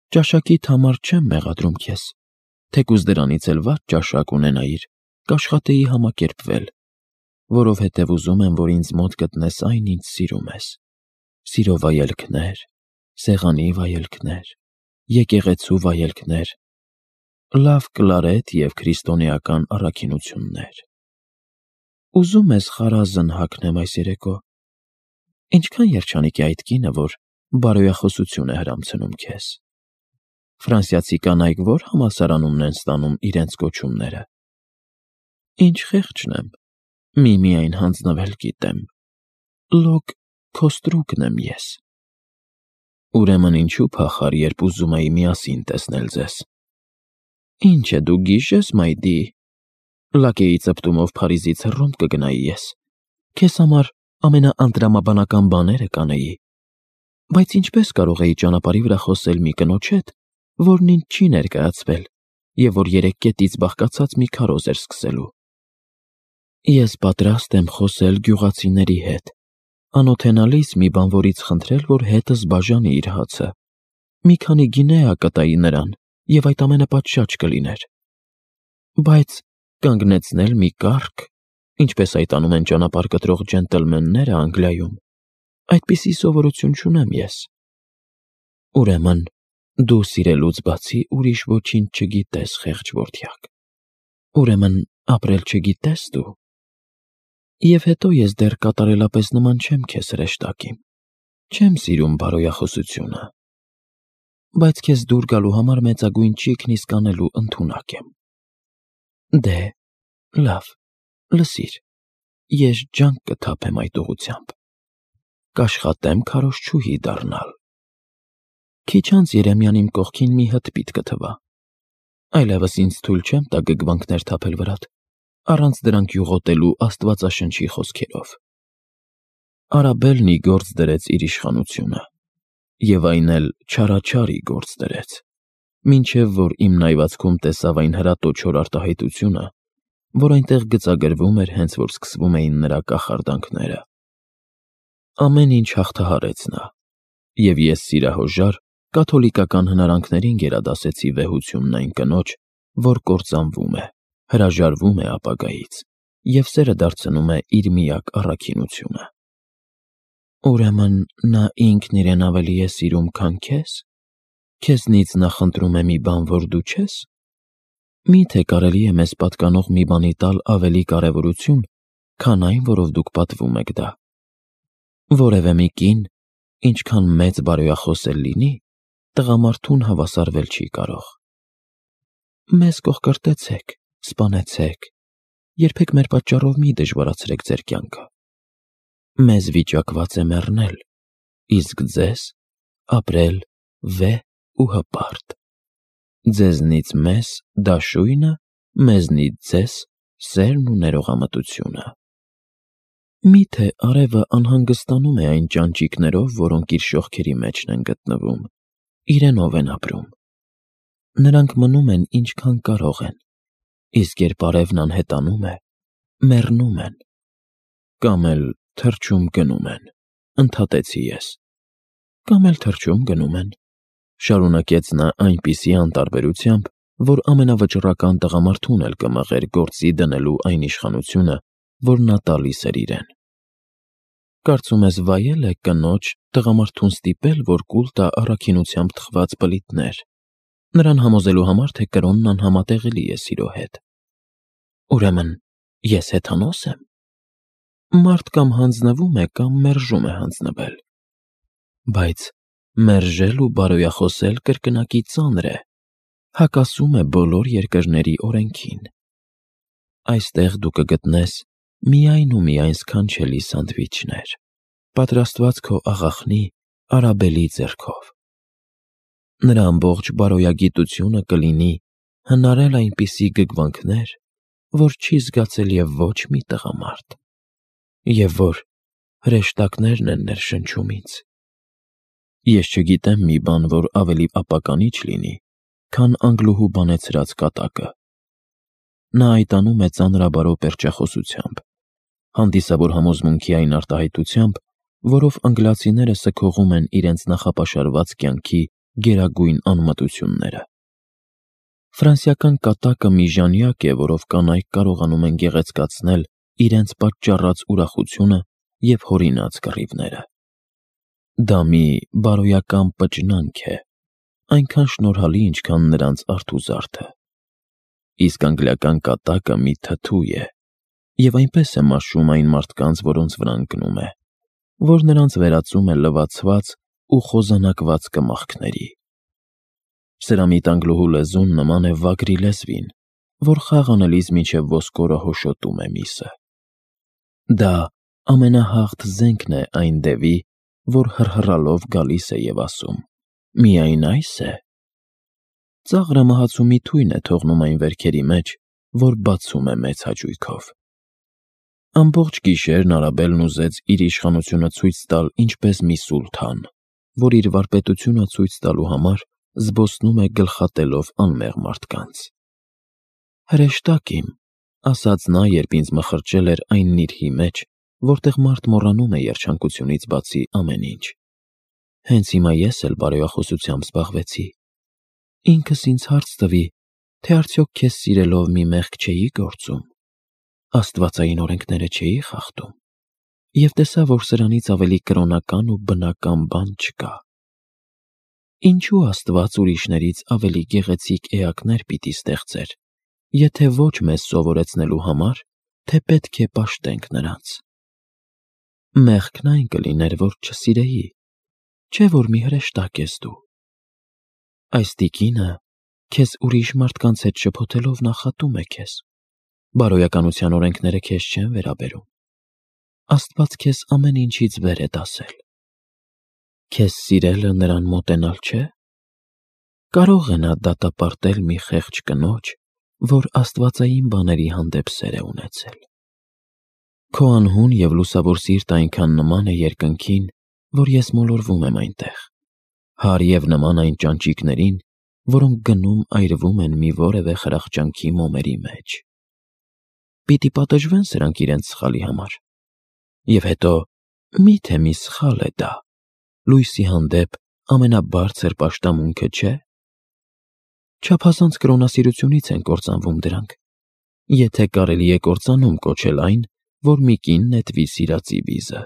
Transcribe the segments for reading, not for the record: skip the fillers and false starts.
Ճաշակիդ համար չեմ մեղադրում քեզ, թեկուզ դրանից էլ վատ ճաշակ ունենայիր, կաշխատեի համակերպվել, որովհետև ուզում եմ, որ ինձ մոտ գտնես այն, ինչ սիրում ես. սիրո վայելքներ, սեղանի վայելքներ, եկեղեցու վայելքներ, լավ կլարետ և քրիստոնեական առաքինություններ։ Ուզում ես խարազն հագնեմ այս երեկո։ Ինչքան երջանիկ է այդ կինը, որ բարոյախոսություն է հրամցնում քեզ։ Ֆրանսիացի կանայք որ համալսարանումն են ստանում իրենց կոչումները։ Ինչ խեղճն եմ, միայն հանձնվել գիտեմ։ Լոկ Քոստրուկն եմ ես։ Ուրեմն ինչու փախար, երբ ուզում էի միասին տեսնել ձեզ։ Ինչ է դու գիշես, մայդի։ Լակեի ծպտումով Փարիզից Հռոմ կգնայի ես։ Քեզ համար ամենաանտրամաբանական բաները կանեի։ Բայց ինչպես կարող էի ճանապարհի վրա խոսել մի կնոջ հետ, որն ինձ չի ներկայացվել, և որ 3 կետից բաղկացած մի քարոզ էր սկսելու։ Ես պատրաստ եմ խոսել գյուղացիների հետ, անօթենալիս մի բանվորից խնդրել, որ հետս բաժանի իր հացը։ Մի քանի գինեա կտայի նրան, և այդ ամենը պատշաճ կլիներ։ Բայց կանգնեցնել մի կարգ, ինչպես այդ անում են ճանապարհ կտրող ջենտլմենները Անգլիայում, այդպիսի սովորություն չունեմ ես։ Ուրեմն դու սիրելուց բացի ուրիշ ոչինչ չգիտես, խեղճ որդյակ։ Ուրեմն ապրել չգիտես դու։ Եվ հետո ես դեռ կատարելապես նման չեմ քեզ հրեշտակին։ Չեմ սիրում բարոյախոսությունը։ Բայց քեզ դուր գալու համար մեծագույն ճիգն իսկ անելու ընդունակ եմ։ Դե, լավ, լսիր, ես ջանք կթափեմ այդ ուղղությամբ։ Կաշխատեմ քարոզչուհի դառնալ։ Քիչ անց Երեմյան իմ կողքին մի հտպիտ կթվա։ Այլևս ինձ թույլ չեմ տա գգվանքներ թափել վրադ, առանց դրանք յուղոտելու աստվածաշնչի խոսքերով։ Արաբելն ի գործ դրեց իր իշխանությունը, և այն էլ չարաչար ի գործ դրեց, մինչև որ իմ նայվածքում տեսավ այն հրատո չոր արտահայտությունը, որ այնտեղ գծագրվում էր, հենց որ սկսվում էին նրա կախարդանքները։ Ամեն ինչ հաղթահարեց նա, և ես սիրահոժար կաթոլիկական հնարանքներին գերադասեցի վեհությունն այն կնոջ, որ կործանվում է, հրաժարվում է ապագայից և սերը դարձնում է իր միակ առաքինությունը։ Ուրեմն նա ինքն իրեն ավելի է սիրում, քան քեզ։ Քեզնից նա խնդրում է մի բան, որ դու չես։ Մի՞թե կարելի է մեզ պատկանող մի բանի տալ ավելի կարևորություն, քան այն, որով դուք պատվում եք դա։ Որևէ մի կին, ինչքան մեծ բարոյախոս էլ լինի, տղամարդուն հավասարվել չի կարող։ Մեզ կողկրտեցեք, սպանեցեք, երբեք մեր պատճառով մի դժվարացրեք ձեր կյանքը։ Մեզ վիճակված է մեռնել, իսկ ձեզ ապրել վեհ ու հպարտ։ Ձեզնից մեզ դաշույնը, մեզնից ձեզ սերն ու ներողամտությունը։ Մի՞թե արևը անհանգստանում է այն ճանճիկներով, որոնք իր շողքերի մեջն են գտնվում, իրենով են ապրում։ Նրանք մնում են ինչքան կարող են, իսկ երբ արևն անհետանում է, մեռնում են։ Կամ էլ թռչում գնում են, ընդհատեցի ես։ Կամ էլ թռչում գնում են, շարունակեց նա այնպիսի անտարբերությամբ, որ ամենավճռական տղամարդուն էլ կմղեր գործի դնելու այն իշխանությունը, որ նա տալիս էր իրեն։ Կարծում ես վայել է կնոջ տղամարդուն ստիպել, որ կուլ տա առաքինությամբ թխված բլիթներ, նրան համոզելու համար, թե կրոնն անհամատեղելի է սիրո հետ։ Ուրեմն ես հեթանոս եմ։ Մարդ կամ հանձնվում է, կամ մերժում է հանձնվել։ Բայց մերժել ու բարոյախոսել կրկնակի ծանր է, հակասում է բոլոր երկրների օրենքին։ Այստեղ դու կգտնես միայն ու միայն սքանչելի սանդվիչներ, պատրաստված քո աղախնի Արաբելի ձեռքով։ Նրա ամբողջ բարոյագիտությունը կլինի հնարել այնպիսի գգվանքներ, որ չի զգացել և ոչ մի տղամարդ, և որ հրեշտակներն են ներշնչում ինձ։ Ես չգիտեմ մի բան, որ ավելի ապականիչ լինի, քան անգլուհու բանեցրած կատակը։ Նա այդ անում է ծանրաբարո պերճախոսությամբ, հանդիսավոր համոզմունքի այն արտահայտությամբ, որով անգլիացիները սգողում են իրենց նախապաշարված կյանքի գերագույն անմտությունները։ Ֆրանսիական կատակը մի ժանյակ է, որով կանայք կարողանում են գեղեցկացնել իրենց պատճառած ուրախությունը և հորինած կռիվները։ Դա մի բարոյական պճնանք է, այնքան շնորհալի, ինչքան նրանց արթուզարդը։ Իսկ անգլիական կատակը մի թթու է, և այնպես է մաշում այն մարդկանց, որոնց վրա ընկնում է, որ նրանց վերածում է լվացված ու խոզանակված կմախքների։ Սրամիտ անգլուհու լեզուն նման է վագրի լեզվին, որ խաղ անելիս մինչև ոսկորը հոշոտում է միսը։ Դա ամենահաղթ զենքն է այն դևի, որ հռհռալով գալիս է և ասում. «Միայն այս է»։ Ծաղրը մահացու մի թույն է թողնում այն վերքերի մեջ, որ բացում է մեծ հաճույքով։ Ամբողջ գիշերն Արաբելն ուզեց իր իշխանությունը ցույց տալ ինչպես մի սուլթան, որ իր վարպետությունը ցույց տալու համար զբոսնում է գլխատելով անմեղ մարդկանց։ «Հրեշտակ իմ», ասաց նա, երբ ինձ մխրճել էր այն նիրհի մեջ, որտեղ մարդ մոռանում է երջանկությունից բացի ամեն ինչ։ Հենց հիմա ես էլ բարոյախոսությամբ զբաղվեցի։ Ինքս ինձ հարց տվի, թե արդյոք քեզ սիրելով մի մեղք չէի գործում, աստվածային օրենքները չէի խախտում, և տեսա, որ սրանից ավելի կրոնական ու բնական բան չկա։ Ինչու Աստված ուրիշներից ավելի գեղեցիկ էակներ պիտի ստեղծեր, եթե ոչ մեզ սովորեցնելու համար, թե պետք է պաշտենք նրանց։ Մեղքն այն կլիներ, որ չսիրեի, չէ՞ որ մի հրեշտակ ես դու։ Այս տիկինը քեզ ուրիշ մարդկանց հետ շփոթելով նախատում է քեզ։ Բարոյականության օրենքները քեզ չեն վերաբերում։ Աստված քեզ ամեն ինչից վեր է դասել։ Քեզ սիրելը նրան մոտենալ չէ։ Կարող է նա դատապարտել մի խեղճ կնոջ, որ աստվածային բաների հանդեպ սեր է ունեցել։ Քո անհուն և լուսավոր սիրտը այնքան նման է երկնքին, որ ես մոլորվում եմ այնտեղ, հար և նման այն ճանճիկներին, որոնք գնում այրվում են մի որևէ խրախճանքի մոմերի մեջ։ Պիտի պատժվեն սրանք իրենց սխալի համար։ Եվ հետո, մի՞թե մի սխալ է դա, լույսի հանդեպ ամենաբարձր պաշտամունքը չէ։ Չափազանց կրոնասիրությունից են կործանվում դրանք, եթե կարելի է կործանում կոչել այն, որ մի կին նետվի սիրածի վիզը։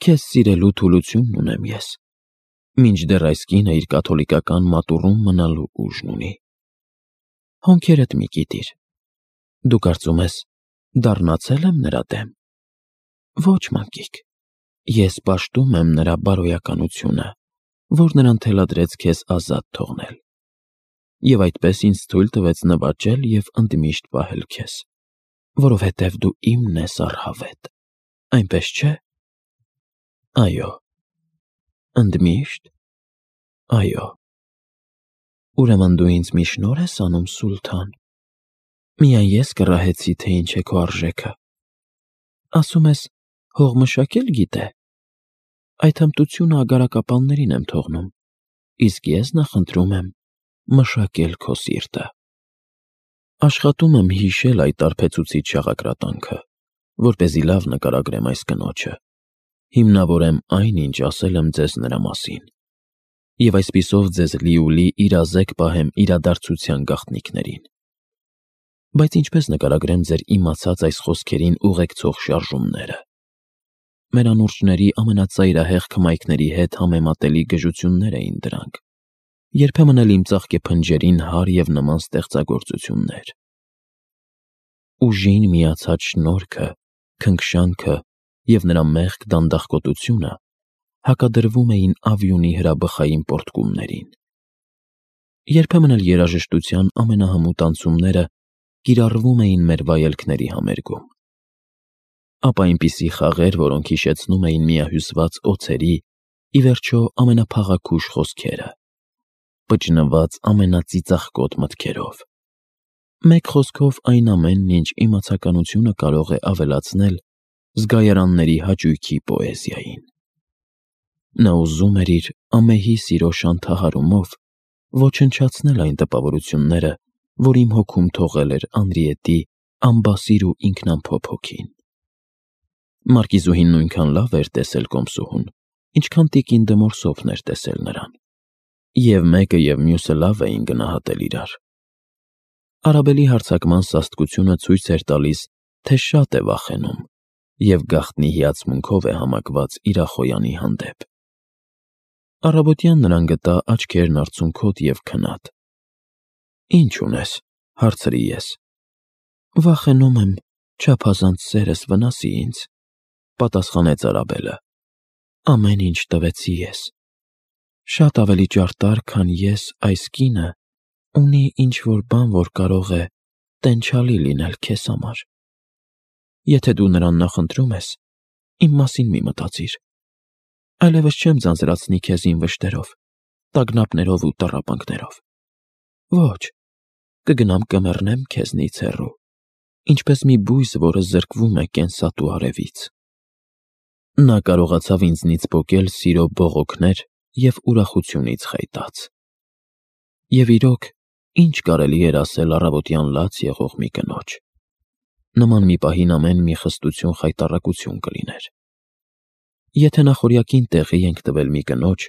Քեզ սիրելու թուլությունն ունեմ ես, մինչդեռ այս կինը իր կաթոլիկական մատուռում մնալու ուժն ունի։ Հոնքերդ մի կիտիր։ Դու կարծում ես, դառնացել եմ նրա դեմ։ Ոչ, մանկիկ, ես պաշտում եմ նրա բարոյականությունը, որ նրան թելադրեց քեզ ազատ թողնել։ Եվ այդպես ինձ թույլ տվեց նվաճել և ընդմիշտ պահել քեզ, որովհետև դու իմն ես առհավետ, այնպես չէ։ Այո։ Ընդմիշտ։ Այո։ Ուրեմն դու ինձ մի շնորհ ես անում, սուլթան։ Միայն ես կռահեցի, թե ինչ է քո արժեքը։ Ասում ես, հող մշակել գիտե։ Այդ հմտությունը ագարակապաններին եմ թողնում, իսկ ես նախընտրում եմ մշակել քո սիրտը։ Աշխատում եմ հիշել այդ արբեցուցիչ շաղակրատանքը, որպեսզի լավ նկարագրեմ այս կնոջը, հիմնավորեմ այն, ինչ ասել եմ ձեզ նրա մասին, և այսպիսով ձեզ լիուլի իրազեկ պահեմ իրադարձության գաղտնիքներին։ Բայց ինչպես նկարագրեմ ձեր իմացած այս խոսքերին ուղեկցող շարժումները։ Մեր անուրջների ամենածայրահեղ քմայքների հետ համեմատելի գժություններ էին դրանք, երբեմն էլ իմ ծաղկե փնջերին հար և նման ստեղծագործություններ։ Ուժին միացած շնորհքը, քնքշանքը և նրա մեղք դանդաղկոտությունը հակադրվում էին ավյունի հրաբխային պոռթկումներին։ Երբեմն էլ երաժշտության ամենահմուտ անցումները կիրառվում էին մեր վայելքների համերգում։ Ապա այնպիսի խաղեր, որոնք հիշեցնում էին միահյուսված օձերի, ի վերջո ամենափաղաքուշ խոսքերը, պճնված ամենածիծաղկոտ մտքերով։ Մեկ խոսքով այն ամենն, ինչ իմացականությունը կարող է ավելացնել զգայարանների հաճույքի պոեզիային։ Նա ուզում էր իր ամեհի սիրո շանթահարումով ոչնչացնել այն տպավորությունները, որ իմ հոգում թողել էր Անրիետի անբասիր ու ինքնամփոփ հոգին։ Մարկիզուհին նույնքան լավ էր տեսել կոմսուհուն, ինչքան տիկին Դը Մորսոֆն էր տեսել նրան։ Եվ մեկը և մյուսը լավ էին գնահատել իրար։ Արաբելի հարձակման սաստկությունը ցույց էր տալիս, թե շատ է վախենում և գաղտնի հիացմունքով է համակված իր ախոյանի հանդեպ։ Առավոտյան նրան գտա աչքերն արցունքոտ և քնած։ «Ի՞նչ ունես», հարցրի ես։ «Վախենում եմ չափազանց սերս վնասի ինձ», պատասխանեց Արաբելը։ «Ամեն ինչ տվեցի ես։ Շատ ավելի ճարտար, քան ես, այս կինը ունի ինչ-որ բան, որ կարող է տենչալի լինել քեզ համար։ Եթե դու նրան նախընտրում ես, իմ մասին մի մտածիր։ Այլևս չեմ ձանձրացնի քեզ իմ վշտերով, տագնապներով ու տառապանքներով։ Ոչ, կգնամ կմեռնեմ քեզնից հեռու, ինչպես մի բույս, որը զրկվում է կենսատու արևից»։ Նա կարողացավ ինձնից պոկել սիրո բողոքներ և ուրախությունից խայտած։ Եվ իրոք, ինչ կարելի էր ասել առավոտյան լաց եղող մի կնոջ։ Նման մի պահին ամեն մի խստություն խայտառակություն կլիներ։ Եթե նախօրյակին տեղի ենք տվել մի կնոջ,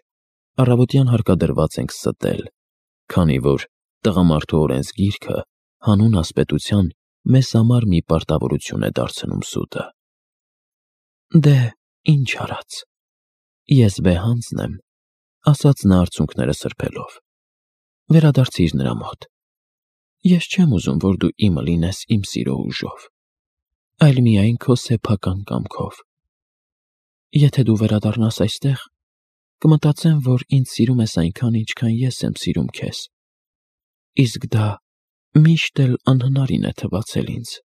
առավոտյան հարկադրված ենք ստել, քանի որ տղամարդու օրենսգիրքը հանուն ասպետության մեզ համար մի պարտավորություն է դարձնում սուտը։ «Դե, ինչ արած, ես վեհանձն եմ», ասաց նա արցունքները սրբելով։ «Վերադարձիր նրա մոտ։ Ես չեմ ուզում, որ դու իմը լինես իմ սիրո ուժով, այլ միայն քո սեփական կամքով։ Եթե դու վերադառնաս այստեղ, կմտածեմ, որ ինձ սիրում ես այնքան, ինչքան ես եմ սիրում քեզ, իսկ դա միշտ էլ անհնարին է թվացել ինձ»։